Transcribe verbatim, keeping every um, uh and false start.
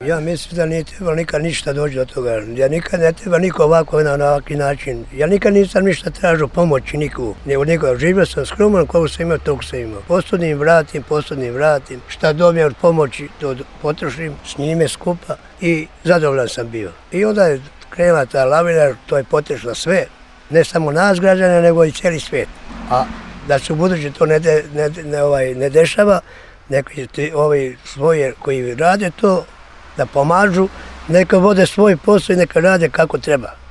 Ja mislim da nije trebalo nikad ništa doći do toga. Ja nikad ne treba niko ovako na ovakvi način. Ja nikad nisam ništa tražio pomoći nikogu. Nego nikoga. Živio sam skromno, koliko sam imao, toliko sam imao. Posudnim vratim, posudnim vratim. Šta dobijem od pomoći, to potrošim s njime skupa i zadovoljan sam bio. I onda je krenula ta lavina, to je potešla sve. Ne samo nas građane, nego i cijeli svijet. A da se u budući to ne, de, ne, ne, ovaj, ne dešava, neki ovi svoje koji rade to, da pomažu, neka vode svoj posao i neka rade kako treba.